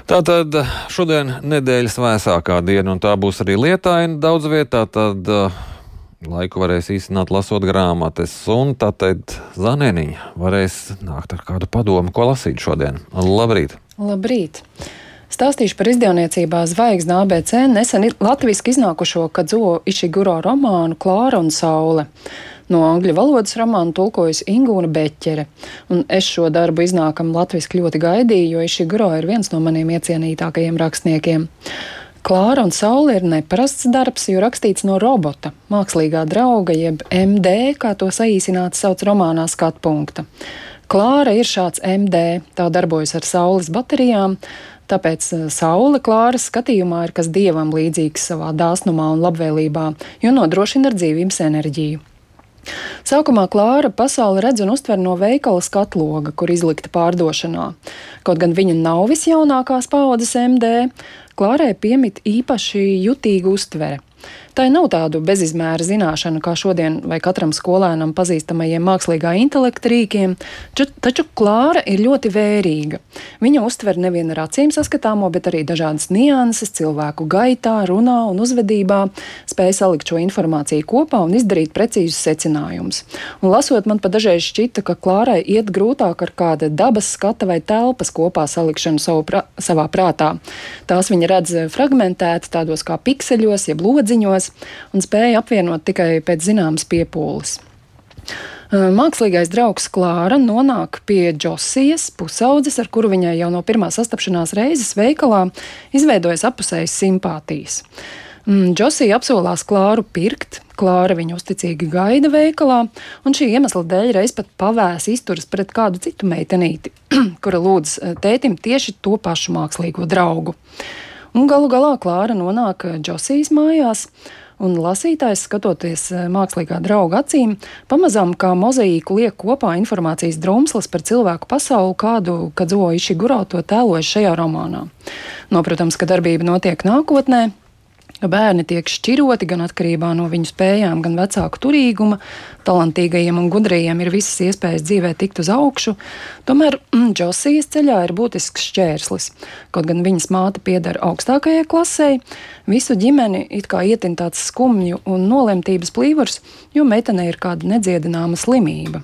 Tātad šodien nedēļas vēsākā diena, un tā būs arī lietaina daudz vietā. Tad laiku varēs īstenot lasot grāmatas, un tātad Zanēniņa varēs nākt ar kādu padomu, ko lasīt šodien. Labrīt! Labrīt! Stāstīšu par izdevniecībā Zvaigzne ABC nesen latviski iznākušo Kadzuo Išiguro romānu Klāra un saule. No angļu valodas romānu tulkojusi Ingūna Beķere, un es šo darbu iznākam latviski ļoti gaidīju, jo Išiguro ir viens no maniem iecienītākajiem rakstniekiem. Klāra un saule ir neparasts darbs, jo rakstīts no robota, mākslīgā drauga, jeb MD, kā to saīsināti sauc romānā skatpunkta. Klāra ir šāds MD, tā darbojas ar saules baterijām, tāpēc saule Klāras skatījumā ir kas dievam līdzīgs savā dāsnumā un labvēlībā, jo nodrošina ar dzīvības enerģiju. Sākumā Klāra pasauli redz un uztver no veikala skatloga, kur izlikta pārdošanā. Kaut gan viņa nav visjaunākās paaudzes MD, Klārai piemīt īpaši jutīga uztvere. Tā nav tādu bezizmēra zināšana, kā šodien vai katram skolēnam pazīstamajiem mākslīgā intelekta rīkiem, taču Klāra ir ļoti vērīga. Viņa uztver nevien ar acīm saskatāmo, bet arī dažādas nianses cilvēku gaitā, runā un uzvedībā, spēja salikt šo informāciju kopā un izdarīt precīzus secinājumus. Un lasot, man pat dažreiz šķita, ka Klārai iet grūtāk ar kāda dabas skata vai telpas kopā salikšanu savā prātā. Tās viņa redz fragmentēti tādos kā pikseļos, jeb lodziņos, un spēja apvienot tikai pēc zināmas piepūles. Mākslīgais draugs Klāra nonāk pie Džosijas, pusaudzes, ar kuru viņai jau no pirmā sastapšanās reizes veikalā izveidojas apusējas simpātijas. Džosija apsolās Klāru pirkt, Klāra viņu uzticīgi gaida veikalā, un šī iemesla dēļ reiz pat pavēs izturas pret kādu citu meitenīti, kura lūdz tētim tieši to pašu mākslīgo draugu. Un galu galā Klāra nonāk Džosijas mājās, un lasītājs, skatoties mākslīgā drauga acīm, pamazām kā mozaīku liek kopā informācijas drumslas par cilvēku pasauli, kādu Kadzuo Išiguro to tēlojas šajā romānā. Protams, ka darbība notiek nākotnē, ka bērni tiek šķiroti gan atkarībā no viņu spējām, gan vecāku turīguma. Talantīgajiem un gudrajiem ir visas iespējas dzīvē tikt uz augšu. Tomēr Džosijas ceļā ir būtisks šķērslis. Kaut gan viņas māte pieder augstākajai klasei, visu ģimeni it kā ietin tāds skumju un nolemtības plīvurs, jo meitenei ir kāda nedziedināma slimība.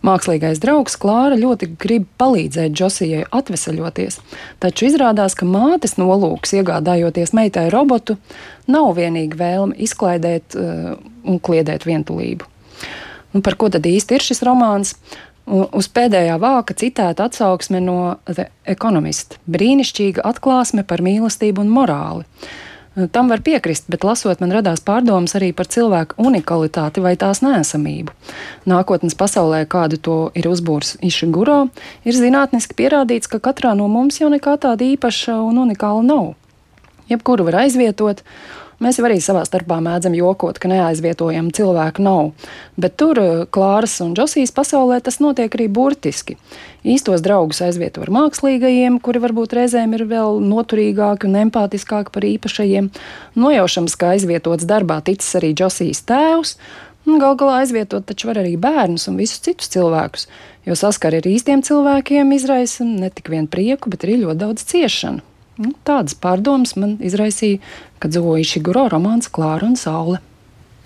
Mākslīgais draugs Klāra ļoti grib palīdzēt Džosijai atveseļoties, taču izrādās, ka mātes nolūks, iegādājoties meitai robotu, nav vienīgi vēlme izklaidēt un kliedēt vientulību. Un par ko tad īsti ir šis romāns? Uz pēdējā vāka citēta atsauksme no The Economist – brīnišķīga atklāsme par mīlestību un morāli. Tam var piekrist, bet lasot man radās pārdomas arī par cilvēku unikalitāti vai tās neesamību. Nākotnes pasaulē, kādu to ir uzbūrs Išiguro, ir zinātniski pierādīts, ka katrā no mums jau nekā tāda īpaša un unikāla nav. Jebkuru var aizvietot. Mēs jau arī savā starpā mēdzam jokot, ka neaizvietojam cilvēku nav, bet tur Klāras un Džosijas pasaulē tas notiek arī burtiski. Īstos draugus aizvieto ar mākslīgajiem, kuri varbūt reizēm ir vēl noturīgāki un empātiskāki par īpašajiem. Nojaušams, ka aizvietots darbā ticis arī Džosijas tēvs, un gal galā aizvietot taču var arī bērnus un visus citus cilvēkus, jo saskari ar īstiem cilvēkiem izraisa ne tik vien prieku, bet arī ļoti daudz ciešanu. Tādas pārdomas man izraisīja Kadzuo Išiguro romāns Klāra un saule.